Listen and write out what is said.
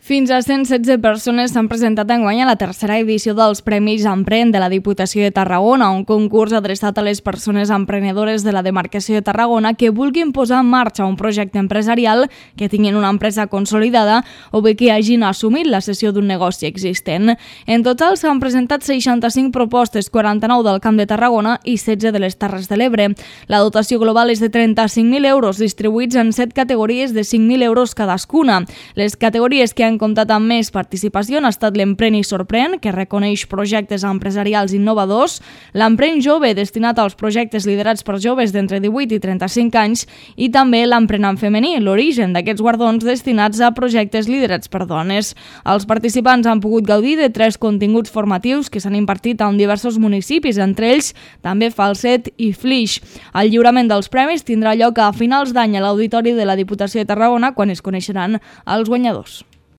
Fins a 116 persones s'han presentat enguany a la tercera edició dels Premis Emprèn de la Diputació de Tarragona, un concurs adreçat a les persones emprenedores de la demarcació de Tarragona que vulguin posar en marxa un projecte empresarial, que tinguin una empresa consolidada o bé que hagin assumit la cessió d'un negoci existent. En total s'han presentat 65 propostes, 49 del Camp de Tarragona i 16 de les Terres de l'Ebre. La dotació global és de 35.000 euros, distribuïts en 7 categories de 5.000 euros cadascuna. Les categories que han comptat amb més participació han estat l'Emprèn i Sorprèn, que reconeix projectes empresarials innovadors, l'Emprèn Jove, destinat als projectes liderats per joves d'entre 18 i 35 anys, i també l'Emprenent Femení, l'origen d'aquests guardons destinats a projectes liderats per dones. Els participants han pogut gaudir de 3 continguts formatius que s'han impartit en diversos municipis, entre ells també Falset i Flix. El lliurament dels premis tindrà lloc a finals d'any a l'Auditori de la Diputació de Tarragona, quan es coneixeran els guanyadors.